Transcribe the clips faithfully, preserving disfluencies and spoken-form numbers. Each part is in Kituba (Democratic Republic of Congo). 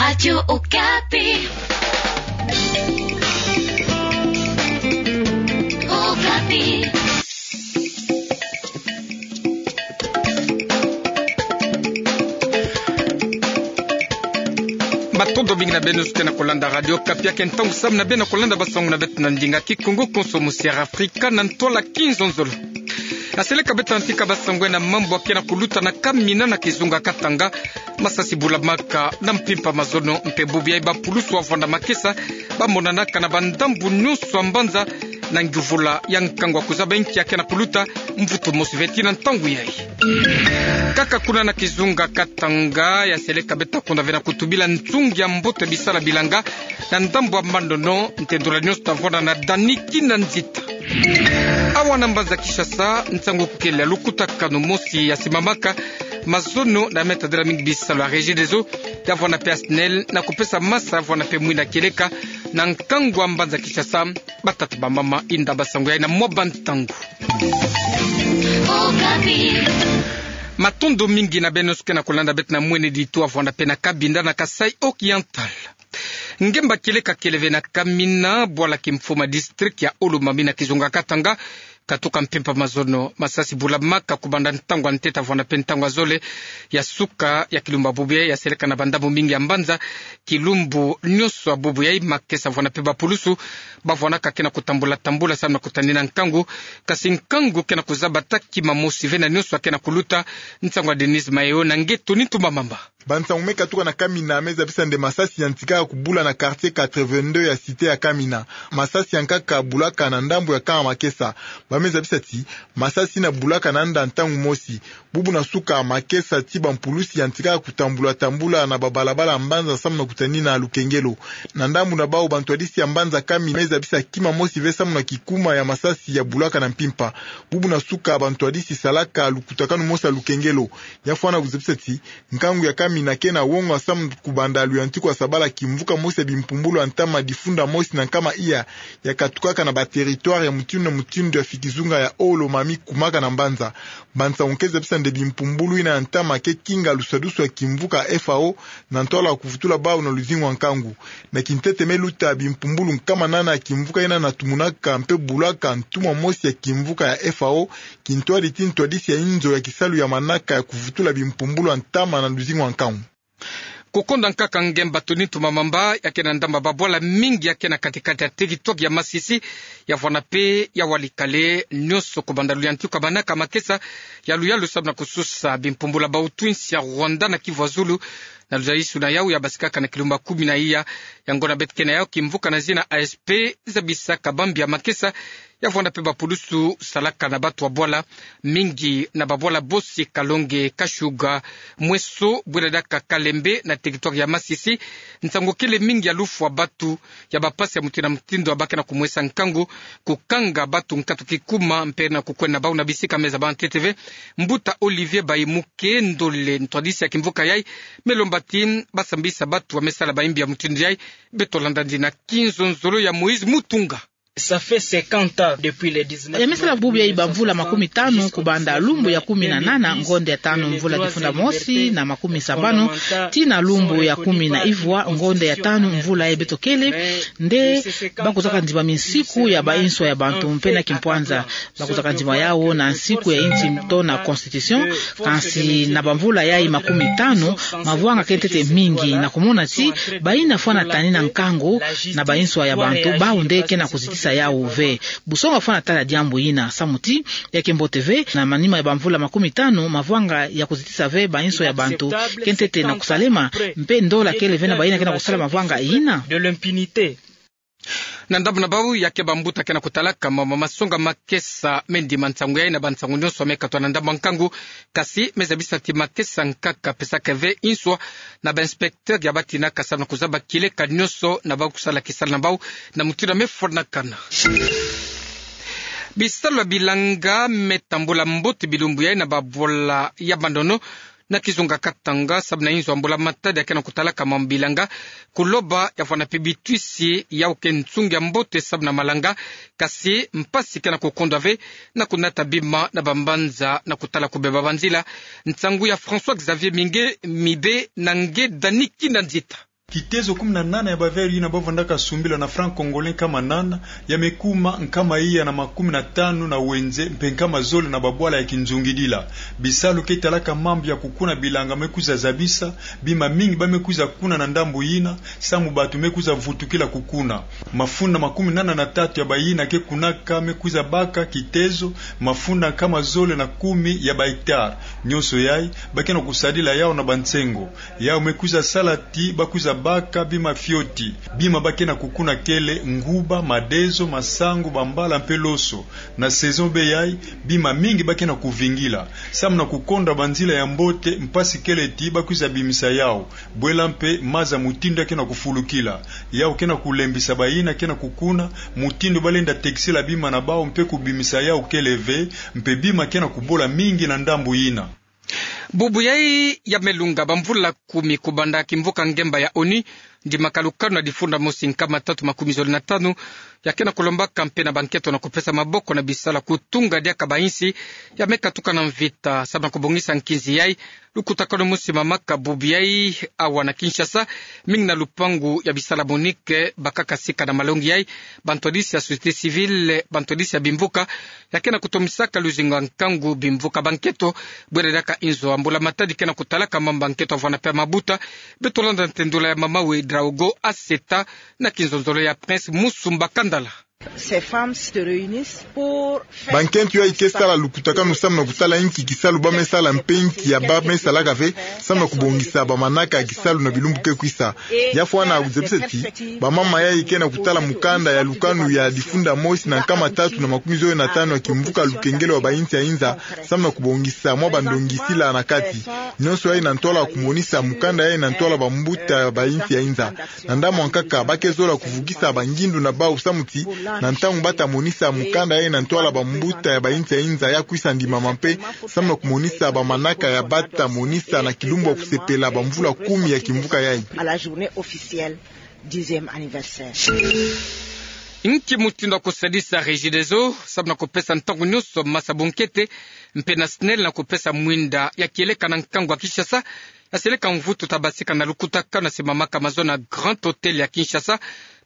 Radio Okapi. Okapi. Matondo mingi na beno nyonso ke na kolanda Radio Okapi, ya ke ntangu samu na beno kolanda basango na beto na ndinga Kikongo konso mu Sierra Afrika na ntwala kinzonzolo. Aseleka beto antika basango na mambu ke na kuluta na Kamina na kizunga Katanga. Masasi bulamaka na mpimpa mazono mpe bubu yayi bapulusu wavwanda makesa bamonanaka na bandambu nyonso ya mbanza na ngiuvula ya nkangu wa kuzaba inki ya ke na kuluta mvutu mosi ve tii na ntangu yayi. Kaka kuna na kizunga Katanga, ya seleka beto kunda ve na kutubila nzungi ya mbote bisala bilanga na ndambu ya Mandono, ntendula nyonso tavwanda na Dani Kinanzita. Awa na mbanza Kinshasa, nsangu kele ya lukutakanu mosi ya simamaka mazono na me tadila mingi bisalu ya Regideso, ya vwanda mpe ya SNEL, na kupesa masa ya vwanda mpe mwinda kieleka na nkangu ya mbanza Kinshasa. Batata bamama, inda basango yayi na mwa bantangu. Matondo mingi na beno nyonso ke na kolanda beto na Mweneditu, ya vwanda mpe na Cabinda na Kasaï Oriental. Ngemba kieleka kele ve na Kamina, bwala kimfuma district ya Olomami na kizunga Katanga, katuka mpimpa mazono. Masasi bulamaka kubanda ntangu ya ntete ya vwanda mpe ntangu ya zole ya suka ya kilumbu ya bubu yayi, ya seleka na bandambu mingi ya mbanza. Kilumbu nyonso ya bubu yayi makesa vwanda mpe bapulusu bavwandaka ke na kutambula tambula samu na kutanina nkangu. Kasi nkangu ke na kuzaba ta kima mosi ve na nyonso ya ke na kuluta. Nsangu ya Denise Mayo na nge Tony Ntumba Mamba. Bansangu me katuka na Kamina me zabisa nde masasi yantikaka kubula na quartier quatre-vingt-deux ya cité ya Kamina. Masasi yankaka bulaka na ndambu ya camp ya makesa. Ba me zabisa ti masasi yina bulaka na yanda ntangu mosi. Bubu na suka ya makesa ti bampulusi yantikaka kutambula tambula na babalabala ya mbanza samu na kutanina lukengelo. Na ndambu na bawu, bantwadisi ya mbanza Kamina me zabisa kima mosi ve samu na kikuma ya masasi ya bulaka na mpimpa. Bubu na suka, bantwadisi salaka lukutakanu mosi ya lukengelo. Ya fwana kuzabisa ti nkangu ya Kamina ke na wonga samu kubanda luyantiku ya sabala kimvuka mosi ya bimpumbulu ya ntama difunda mosi na nkama iya ya katukaka na ba territoire ya mutindu na mutindu ya fikizunga ya Olomami kumaka na mbanza. Bansangu ke zabisa nde bimpumbulu yina ya ntama ke kinga lusadusu ya kimvuka ya F A O na ntwala ya kuvutula bawu na luzingu ya nkangu. Na kintete me luta bimpumbulu nkama nana ya kimvuka yina na tumunaka mpe bulaka ntumwa mosi ya kimvuka ya F A O, kintwadi ti ntwadisi ya inzo ya kisalu ya manaka ya kuvutula bimpumbulu ya ntama na luzingu ya nkangu. Kukonda nkaka ngemba Tony Ntumba Mamba, ya ke na ndambu ya babwala mingi ya ke na kati-kati ya territoire ya Masisi, ya vwanda mpe ya Walikale, nyonso kubanda luyantiku ya manaka makesa ya luyalu samu na kususa bimpumbulu ya bawutu-nsi ya Rwanda na Kivu ya Zulu, na luzayisuna yawu ya basikaka na kilumbu ya kumi na iya. Yango na beto ke na yawu kimvuka na zina A S P zabisaka bambi ya makesa ya vwanda mpe bapulusu salaka na batu ya bwala mingi na babwala bosi Kalonge, Kashuga, Mweso, Bwelelaka, Kalembe na territoire ya Masisi. Nsangu kele mingi ya lufwa batu, ya bapasi ya mutindu na mutindu ya ba ke na kumwesa nkangu, kukanga batu nkatu kikuma mpe na kukwenda na bawu na bisika me zaba ntete ve. Mbuta Olivier Bayimuke Ndole, ntwadisi ya kimvuka yayi, me lomba ti basambisa batu ya me sala bayimbi ya mutindu yayi. Beto landa nde na kinzonzolo ya Moïse Mutunga. Ça fait cinquante ans depuis les dix-neuf. Ya me sala bubu yayi bamvula makumi tanu, kubanda lumbu ya kumi na nana, ngonde ya tanu, mvula difunda mosi na makumi sabanu, tii na lumbu ya kumi na ivwa, ngonde ya tanu, mvula yayi beto kele, nde ba kuzaka ndima minsiku ya bainso ya bantu mpe na kimpwanza. Ba kuzaka ndima yawu na nsiku ya insi to na constitution. Kansi na bamvula yayi makumi tanu, mavwanga ke ntete mingi na kumona ti bayina fwana tanina nkangu na bainso ya bantu, bawu nde ke na kuzitisa yawu ve. Busonga fwana tala diambu yina, samu ti ya ke mbote ve, na manima ya bamvula makumi tanu, mavwanga ya kuzitisa ve bainso ya bantu ke ntete na kusalema, mpe ndola kele ve na bayina ke na kusala mavwanga yina. De l'impunité. Na ndambu na bawu, ya ke bambuta ke na kutalaka ma, ma, masonga makesa me ndima nsangu yayi na bansangu nyonso me katwa na ndambu ya nkangu, kasi me zabisa ti makesa nkaka pesaka ve inswa na ba inspecteur ya batinaka samu na kuzaba kieleka nyonso na bawu kusala kisalu na bawu na mutindu ya me fwanakana. Bisalu ya bilanga me tambula mbote bilumbu yayi na babwala ya Mandono na kizunga Katanga, samu na inzo ya mbula matadi ya ke na kutalaka mambu bilanga, kuloba ya vwanda mpe bitwisi yawu ke nsungi ya mbote samu na malanga, kasi mpasi ke na kukondwa ve na kunata bima na bambanza na kutala kubeba banzila. Nsangu ya François Xavier Minge Mibe na nge Dani Kinanzita. Kitezo kumi na nana ya ba verre yina ba vandaka sumbila na franc congolais nkama nana, ya me kuma nkama iya na makumi na tanu na wenze, mpe nkama zole na babwala ya kinzungidila. Bisalu ke talaka mambu ya kukuna bilanga me kwiza zabisa, bima mingi ba me kwiza kuna na ndambu yina, samu bantu me kwiza vutukila kukuna. Mafunda makumi nana na tatu ya bayina ke kunaka me kwiza baka kitezo mafunda nkama zole na kumi ya ba hectare. Nyonso yayi, ba ke na kusadila yawu na bansengo. Yawu me kwiza sala ti ba kwiza baka bima fioti. Bima ba ke na kukuna kele nguba, madezo, masangu, bambala mpe loso. Na saison bê yayi, bima mingi ba ke na kuvingila. Samu na kukonda banzila ya mbote, mpasi kele ti ba kwiza bimisa yawu. Bwela mpe maza mutindu ya ke na kufulukila. Yawu ke na kulembisa bayina ke na kukuna, mutindu ba lenda tekisila bima na bawu mpe kubimisa yawu kele ve, mpe bima ke na kubola mingi na ndambu yina. Bubu yayi ya me lunga bamvula kumi kubanda kimvuka ngemba ya ONU, ndimaka lukanu na difunda mosi nkama tatu makumi zole na tanu, ya ke na kulombaka mpe na bankento na kupesa maboko na bisala kutunga diaka bainsi ya me katuka na mvita, samu na kubongisa nkinzi yayi. Lukutakanu mosi mamaka bubu yayi awa na Kinshasa, mingi na lupangu ya bisala MONUC, bakaka sika na malongi yayi, bantwadisi ya société civile, bantwadisi ya bimvuka, ya ke na kutomisaka luzingu ya nkangu bimvuka bankento, bwela diaka inzo ya mbula matadi ke na kutalaka mambu ya nkento ya vwanda mpe ya mabuta. Beto landa ntendula ya mama Ouedraogo Asseta na kinzonzolo ya Prince Musumba Kandala. Ces femmes se réunissent pour faire... Bankento yayi ke sala lukutakanu samu na kutala inki kisalu ba me sala mpe inki ya ba me salaka ve, samu na kubongisa bamanaka ya kisalu na bilumbu ke kwisa. Ya fwana kuzabisa ti bamama yayi ke na kutala mukanda ya lukanu ya difunda mosi na nkama tatu na makumi zole na tanu ya kimvuka lukengelo ya bainsi ya inza, samu na kubongisa mwa bandongisila na kati. Nyonso yayi na ntwala kumonisa mukanda yayi na ntwala bambuta ya bainsi ya inza. Na ndambu ya nkaka, ba ke zola kuvukisa bangindu na bawu samu ti, na ntangu ba ta monisa mukanda yayi na ntwala bambuta ya bainsi ya inza, ya kwisa ndimama mpe, samu na kumonisa bamanaka ya ba ta monisa na kilumbu ya kusepela bamvula kumi ya kimvuka yayi. À la journée officielle, dixième anniversaire. Inki mutindu ya kusadisa Regideso samu na kupesa ntangu nyonso masa bunkete, mpe na SNEL na kupesa mwinda ya kieleka na nkangu ya Kinshasa, ya seleka mvutu ta basika na lukutakanu ya simamaka mazono na Grand Hôtel ya Kinshasa,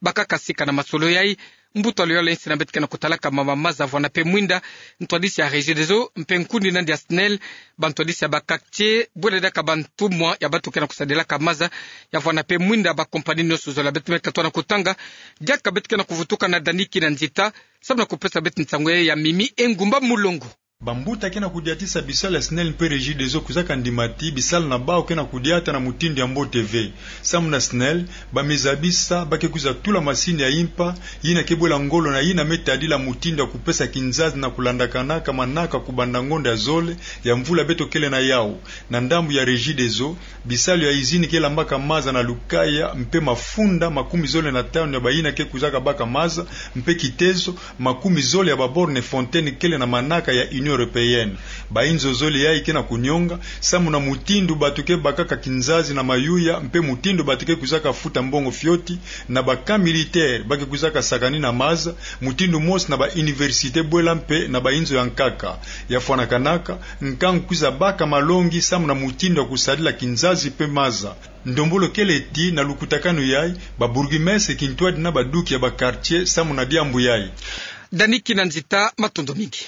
bakaka sika na masolo yayi. Mbuta luyolo ya insi na beto ke na kutalaka mama maza vwanda mpe mwinda, ntwadisi ya Regideso mpe nkundi nandi ya SNEL, bantwadisi ya ba quartier, bwela diaka bantumwa ya bantu ke na kusadilaka maza ya vwanda mpe mwinda, ba compagnie nyonso zole. Beto me katuka na kutanga, diaka beto ke na kuvutuka na Dani Kinanzita samu na kupesa beto nsangu ya Mimi Engumba Mulongo. Bambuta ke na kudiatisa bisalu ya SNEL mpe Regideso kuzaka ndima ti bisalu na bawu ke na kudiata na mutindu ya mbote ve. Samu na SNEL, ba me zabisa ba ke kwiza tula masini ya impa, yina ke bwela ngolo na yina me tadila mutindu ya kupesa kinzazi na kulandakanaka manaka kubanda ngonda ya zole ya mvula beto kele na yawu. Na ndambu ya Regideso, bisalu ya izini ke lambaka maza na Lukaya mpe mafunda makumi zole na tanu ya bayina ke kwizaka baka maza, mpe kitezo makumi zole ya ba borne fontaine kele na manaka ya Union Européenne. Bainzo zole yayi ke na kunionga, samu na mutindu bantu ke bakaka kinzazi na mayuya, mpe mutindu bantu ke kwizaka futa mbongo fioti, na ba camp militaire ba ke kwizaka sakanina maza, mutindu mosi na ba université bwela mpe na bainzo ya nkaka. Ya fwanakanaka, nkangu kwiza baka malongi samu na mutindu ya kusadila kinzazi mpe maza. Ndombolo kele ti na lukutakanu yayi, ba bourgmestre kintwadi na baduki ya ba quartier samu na diambu yayi. Dani Kinanzita, matondo mingi.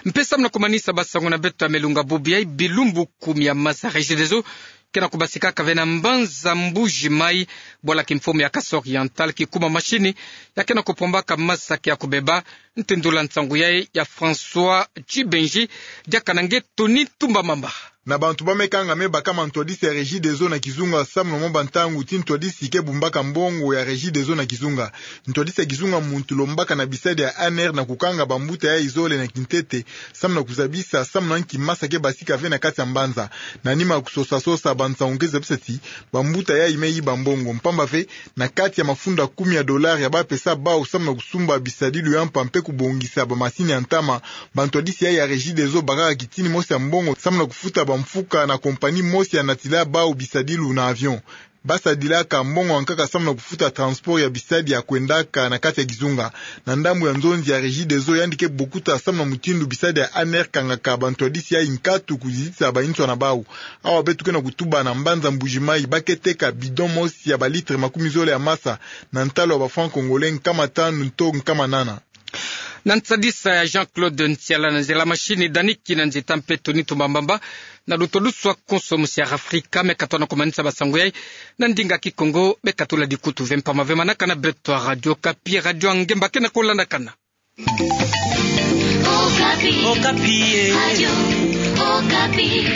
Mpe samu na kumanisa ba nsangu na beto ya me lunga bubu yayi, bilumbu kumi ya maza Regideso ke na kubasikaka ve na mbanza Mbuji-Mayi, bwala kimfumu ya Kasaï Oriental, kikuma masini ya ke na kupombaka maza ke ya kubeba. Ntendula nsangu yayi ya François Tchibenji, diaka na nge Tony Tumbamamba. Na bantu ba me kanga me baka mantwadisi ya Regideso na kizunga samu na mwa bantangu ti ntwadisi ke bumbaka mbongo ya Regideso na kizunga. Ntwadisi ya kizunga muntu lombaka na bisadi ya ANR na kukanga bambuta yayi zole na kintete, samu na kuzabisa samu na nki masa ke basika ve na kati ya mbanza. Na nima ya kusosa-sosa bansangu ke zabisa ti bambuta yayi me yiba mbongo, mpamba ve na kati ya mafunda kumi ya dollars ya ba pesa bawu samu na kusumba bisadilu ya mpa mpe kubongisa bamasini ya ntama, bantwadisi yayi ya Regideso bakaka kitini mosi ya mbongo samu na kufuta bamfuka na compagnie mosi ya natila bawu bisadilu na avion. ba sadilaka mbongo ya nkaka samu na kufuta transport ya bisadi ya kwendaka na kati ya kizunga. Na ndambu ya nzonzi ya Regideso, yandi ke bokuta samu na mutindu bisadi ya ANR kangaka bantu ya D C I nkatu kuzitisa bansoni ya bau. Awa beto ke na kutuba na mbanza Mbuji-Mayi, ba ke teka bidon mosi ya ba litre makumi zole ya masa na ntalu ya ba francs congolais nkama tanu to nkama nana. Na nsadisa ya Jean-Claude Ntiala, na nzela machine Dani Kinanzita mpe Tony Tumbambamba, na luto luswa konso musi ya Afrika, me katona kumanisa ba sango yai na ndinga Kikongo. Be katula dikutu ve mpama ve manaka na beto ya Radio Okapi, radio ya ngemba ke na kolandakana. Okapi. Okapi, eh. Radio Okapi.